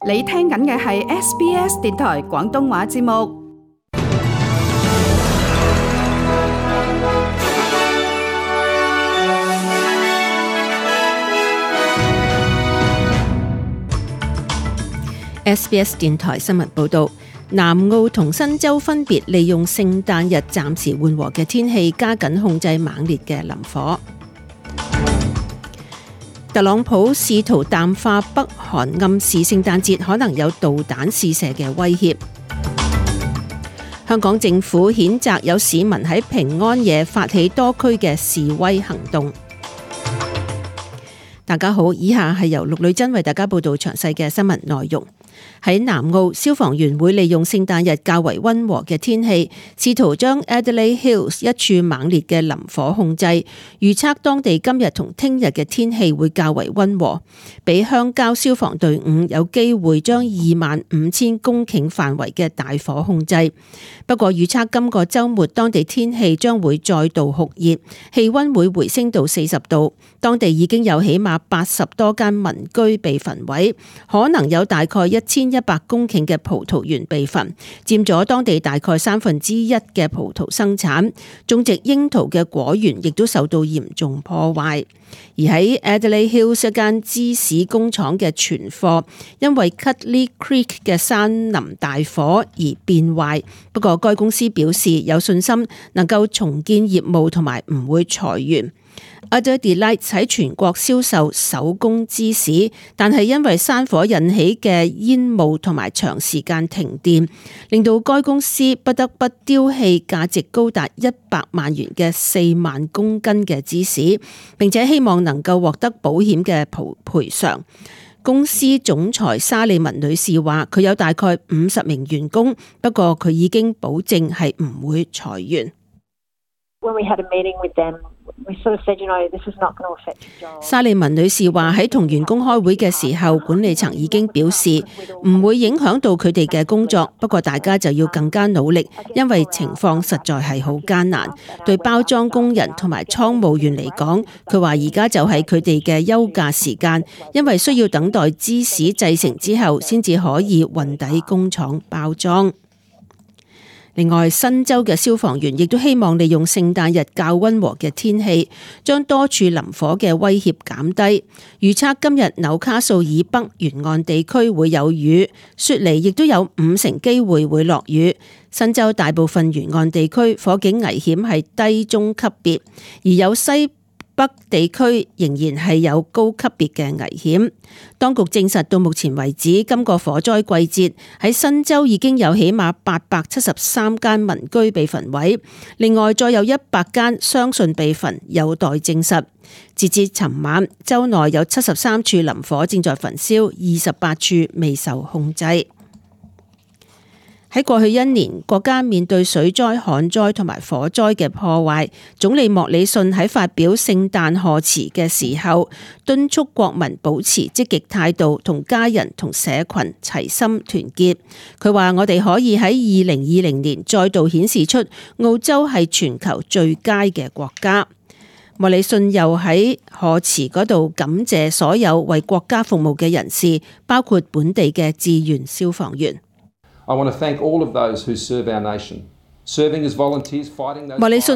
你聽緊嘅係 SBS 電台廣東話節目。SBS 電台新聞報導，南澳同新州分別利用聖誕日暫時緩和嘅天氣，加緊控制猛烈嘅林火。特朗普試圖淡化北韓暗示聖誕節可能有導彈試射嘅威脅。香港政府譴責有市民喺平安夜發起多區嘅示威行動。大家好，以下係由陸女珍為大家報道詳細嘅新聞內容。喺南澳，消防員會利用聖誕日較為溫和嘅天氣，試圖將 Adelaide Hills 一處猛烈嘅林火控制。預測當地今日同聽日嘅天氣會較為溫和，俾鄉郊消防隊伍有機會將25,000公頃範圍嘅大火控制。不過預測今個週末當地天氣將會再度酷熱，氣溫會回升到40度。當地已經有起碼80多間民居被焚毀，可能有大概1100公頃嘅葡萄園被焚，佔咗當地大概1/3嘅葡萄生產。種植櫻桃嘅果園亦都受到嚴重破壞。而喺 Adelaide Hills 一間芝士工廠嘅存貨，因為 Cutley Creek 嘅山林大火而變壞。不過該公司表示有信心能夠重建業務同埋唔會裁員。Udder Delights 喺全國銷售手工芝士，但係因為山火引起嘅煙霧同埋長時間停電，令到該公司不得不丟棄價值高達100萬元嘅4萬公斤嘅芝士，並且希望能夠獲得保險嘅賠償。公司總裁沙利文女士話：佢有大概50名員工，不過佢已經保證係唔會裁員。沙利文女士話喺同員工開會嘅時候，管理層已經表示唔會影響到佢哋嘅工作，不過大家就要更加努力，因為情況實在係好艱難。對包裝工人同埋倉務員嚟講，佢話而家就係佢哋嘅休假時間，因為需要等待芝士製成之後先至可以運抵工廠包裝。另外，新州嘅消防員亦都希望利用聖誕日較溫和嘅天氣，將多處林火嘅威脅減低。預測今日紐卡素以北沿岸地區會有雨，雪梨亦都有50%機會會落雨。新州大部分沿岸地區火警危險係低中級別，而有西北地區仍然係有高級別嘅危險。當局證實到目前為止，今個火災季節喺新州已經有起碼873間民居被焚毀，另外再有100間相信被焚，有待證實。截至尋晚，州內有73處林火正在焚燒，28處未受控制。喺過去1年，國家面對水災、旱災同埋火災嘅破壞，總理莫里遜喺發表聖誕賀詞嘅時候，敦促國民保持積極態度，同家人同社群齊心團結。佢話：我哋可以喺2020年再度顯示出澳洲係全球最佳嘅國家。莫里遜又喺賀詞嗰度感謝所有為國家服務嘅人士，包括本地嘅志願消防員。莫里遜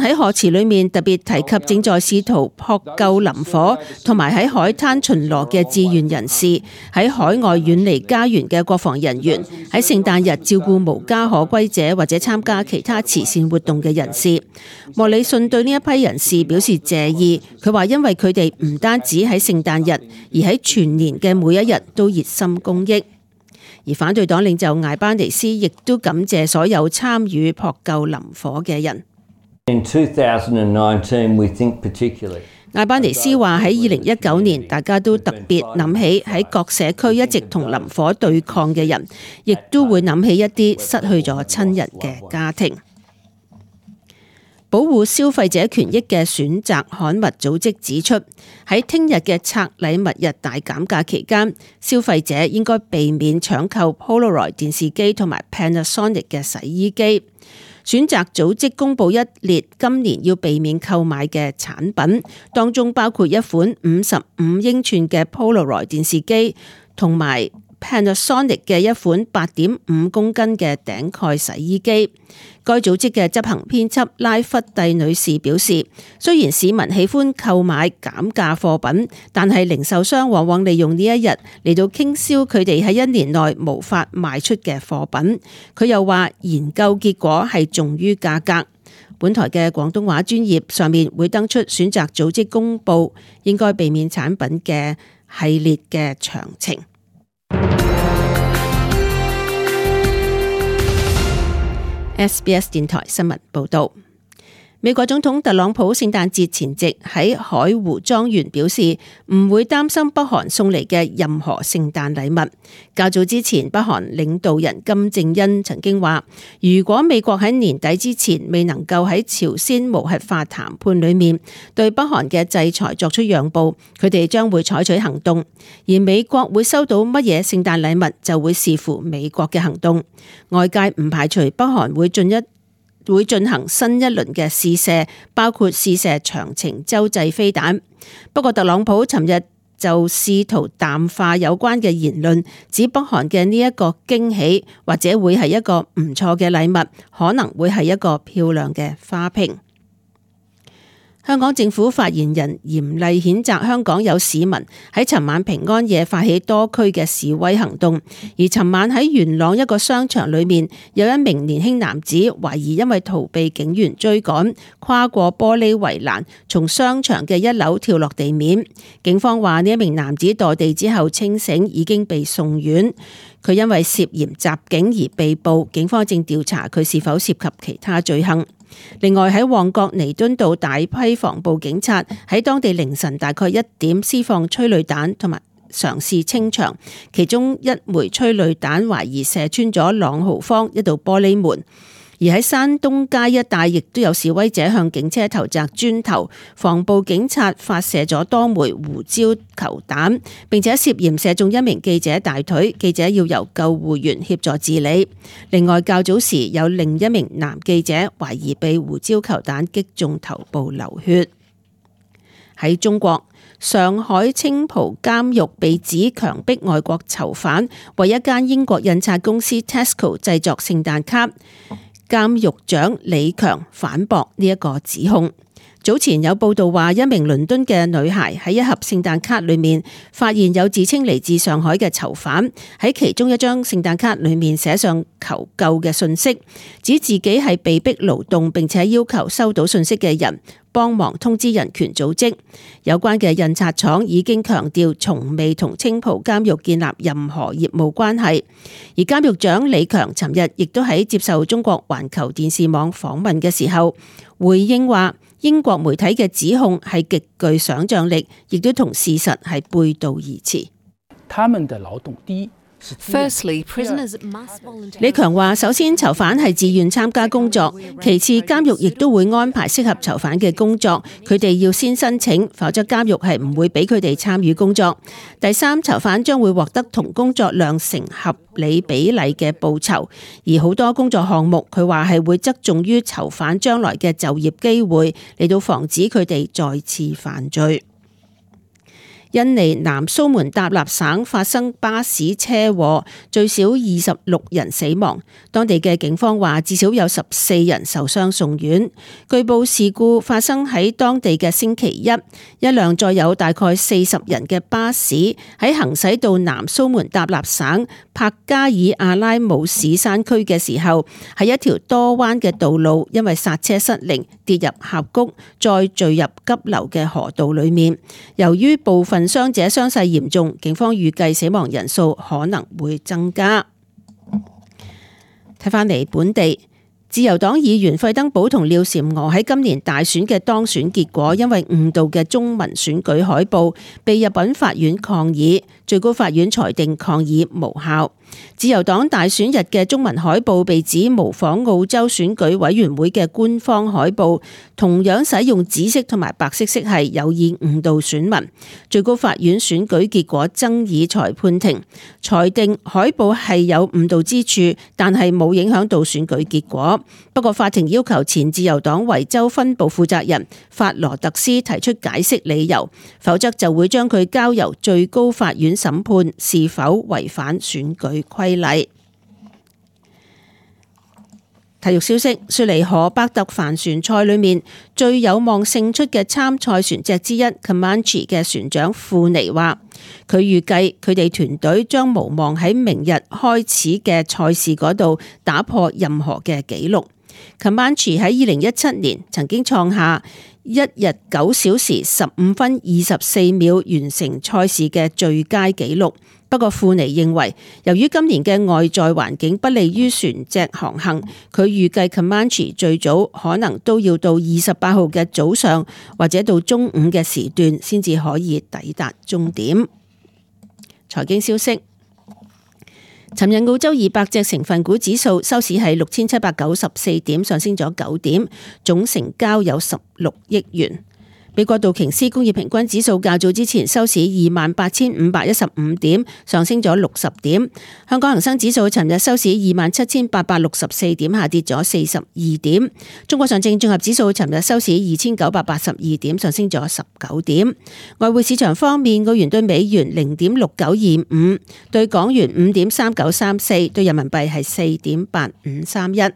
喺賀詞裏面特別提及正在試圖撲救林火同埋喺海灘巡邏嘅志願人士，喺海外遠離家園嘅國防人員，喺聖誕日照顧無家可歸者或者參加其他慈善活動嘅人士。莫里遜對呢一批人士表示謝意，佢話因為佢哋唔單止喺聖誕日，而喺全年嘅每一日都熱心公益。而反對黨領袖艾班尼斯亦都感謝所有參與撲救林火嘅人。艾班尼斯話喺2019年，大家都特別諗起喺各社區一直同林火對抗嘅人，亦都會諗起一啲失去咗親人嘅家庭。保護消費者權益嘅選擇刊物組織指出，喺聽日嘅拆禮物日大減價期間，消費者應該避免搶購 Polaroid 電視機同埋 Panasonic 嘅洗衣機。選擇組織公布一列今年要避免購買嘅產品，當中包括一款55英寸嘅 Polaroid 電視機同埋 Panasonic 嘅一款8.5公斤嘅頂蓋洗衣機。該組織嘅執行編輯拉弗蒂女士表示，雖然市民喜歡購買減價貨品，但係零售商往往利用呢一日嚟到傾銷佢哋喺一年內無法賣出嘅貨品。佢又話研究結果係重於價格。本台嘅廣東話專頁上面會登出選擇組織公佈應該避免產品嘅系列嘅詳情。SBS 電台新聞報道，美國總統特朗普聖誕節前夕喺海湖莊園表示唔會擔心北韓送嚟嘅任何聖誕禮物。較早之前，北韓領導人金正恩曾經話，如果美國喺年底之前未能夠喺朝鮮無核化談判裏面對北韓嘅制裁作出讓步，佢哋將會採取行動。而美國會收到乜嘢聖誕禮物，就會視乎美國嘅行動。外界唔排除北韓會進行新一輪嘅試射，包括試射長程洲際飛彈。不過特朗普尋日就試圖淡化有關嘅言論，指北韓嘅呢一個驚喜或者會係一個唔錯嘅禮物，可能會係一個漂亮嘅花瓶。香港政府發言人嚴厲譴責香港有市民喺尋晚平安夜發起多區嘅示威行動，而尋晚喺元朗一個商場裏面，有一名年輕男子懷疑因為逃避警員追趕，跨過玻璃圍欄，從商場嘅1樓跳落地面。警方話呢一名男子墮地之後清醒，已經被送院。佢因為涉嫌襲警而被捕，警方正調查佢是否涉及其他罪行。另外喺旺角彌敦道，大批防暴警察喺當地凌晨大概1點施放催淚彈同埋嘗試清場，其中一枚催淚彈懷疑射穿咗朗豪坊一道玻璃門。而喺山東街一帶亦都有示威者向警車投擲磚頭，防暴警察發射咗多枚胡椒球彈，並且涉嫌射中一名記者大腿，記者要由救護員協助治理。另外較早時有另一名男記者懷疑被胡椒球彈擊中頭部流血。喺中國，上海青浦監獄被指強迫外國囚犯為一間英國印刷公司 Tesco 製作聖誕卡。監獄長李強反駁呢一個指控。早前有報道話，一名倫敦嘅女孩喺一盒聖誕卡裏面發現有自稱嚟自上海嘅囚犯喺其中一張聖誕卡裏面寫上求救嘅信息，指自己係被逼勞動，並且要求收到信息嘅人幫忙通知人權組織。有關嘅印刷廠已經強調從未同青浦監獄建立任何業務關係。而監獄長李強尋日亦都喺接受中國環球電視網訪問嘅時候回應話，英國媒體嘅指控係極具想象力，亦都同事實係背道而馳。他們的勞動第一。李強話：首先，囚犯係自願參加工作；其次，監獄亦都會安排適合囚犯嘅工作，佢哋要先申請，否則監獄係唔會俾佢哋參與工作。第三，囚犯將會獲得同工作量成合理比例嘅報酬，而好多工作項目，佢話係會側重於囚犯將來嘅就業機會，嚟到防止佢哋再次犯罪。印尼南蘇門答臘省發生巴士車禍，最少26人死亡。當地嘅警方話，至少有14人受傷送院。據報事故發生喺當地嘅星期一，一輛載有大概40人嘅巴士喺行駛到南蘇門答臘省帕加爾阿拉姆市山區嘅時候，喺一條多彎嘅道路，因為剎車失靈跌入峽谷，再墜入急流嘅河道裏面。由於部分傷者傷勢嚴重，警方預計死亡人數可能會增加。睇返嚟本地，自由黨議員費登堡同廖嬋娥喺今年大選嘅當選結果，因為誤導嘅中文選舉海報，被入稟法院抗議，最高法院裁定抗議無效。自由黨大選日嘅中文海報被指模仿澳洲選舉委員會嘅官方海報，同樣使用紫色同埋白色色系，有意誤導選民。最高法院選舉結果爭議裁判庭裁定海報係有誤導之處，但係冇影響到選舉結果。不過法庭要求前自由黨維州分部負責人法羅特斯提出解釋理由，否則就會將佢交由最高法院審判是否違反選舉規例。體育消息：雪梨河伯特帆船賽裏面最有望勝出嘅參賽船隻之一 Comanche 嘅船長庫尼話，佢預計佢哋團隊將無望喺明日開始嘅賽事嗰度打破任何嘅紀錄。Comanche 喺2017年曾經創下1日9小時15分24秒完成賽事嘅最佳紀錄。不過庫尼認為，由於今年嘅外在環境不利於船隻航行，佢預計 Comanche 最早可能都要到28號嘅早上或者到中午嘅時段先至可以抵達終點。財經消息：尋日澳洲200隻成分股指數收市係6794點，上升咗9點，總成交有16億元。美國道瓊斯工業平均指數較早之前收市28,515點，上升咗60點。香港恒生指數尋日收市27,864點，下跌咗42點。中國上證綜合指數尋日收市2,982點，上升咗19點。外匯市場方面，澳元對美元0.6925，對港元5.3934，對人民幣係4.8531。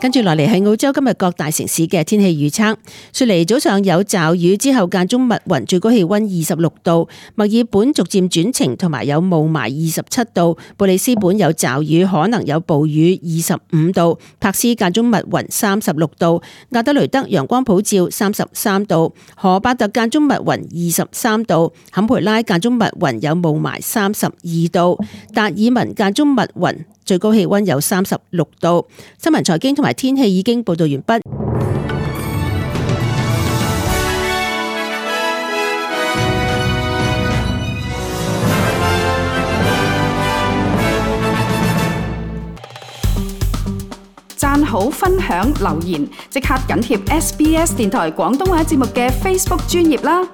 跟住落嚟係澳洲今日各大城市嘅天氣預測。雪梨早上有驟雨，之後間中密雲，最高氣溫26度。墨爾本逐漸轉晴，同埋有霧霾27度。布里斯本有驟雨，可能有暴雨25度。柏斯間中密雲36度。亞德雷德陽光普照33度。荷伯特間中密雲23度。坎培拉間中密雲有霧霾32度。達爾文間中密雲，最高氣溫有36度。新聞財經同埋天氣已經報道完畢。讚好、分享、留言，即刻緊貼SBS 電台廣東話節目嘅 Facebook 專頁啦！